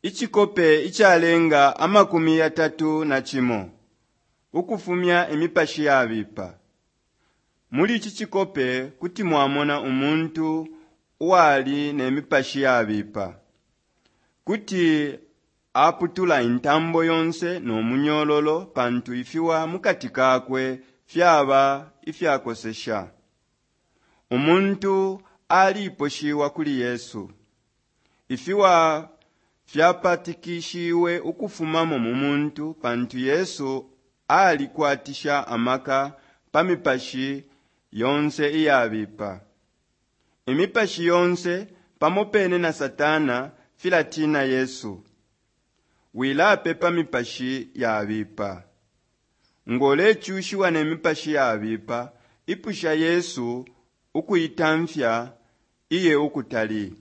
Icikope icalenga 31 Ukufumya imipashi yabipa. Muli ici cikope kuti mwamona umuntu uwali ne mipashi yabipa. Kuti aputula intambo yonse no munyololo pantu ifiwa mukati kakwe fyaba ifyakosesha. Umuntu aliposhiwa kuli Yesu. Ifiwa fyapatikishiwe ukufumamo mu muntu pantu Yesu alikwatisha amaka pa mipashi yonse iyabipa. Imipashi yonse pamo pene na Satana filatina Yesu. Wilapepa mipashi yabipa. Ngolecushiwa ne mipashi yabipa, ipusha Yesu ukuitamfya iye ukutali.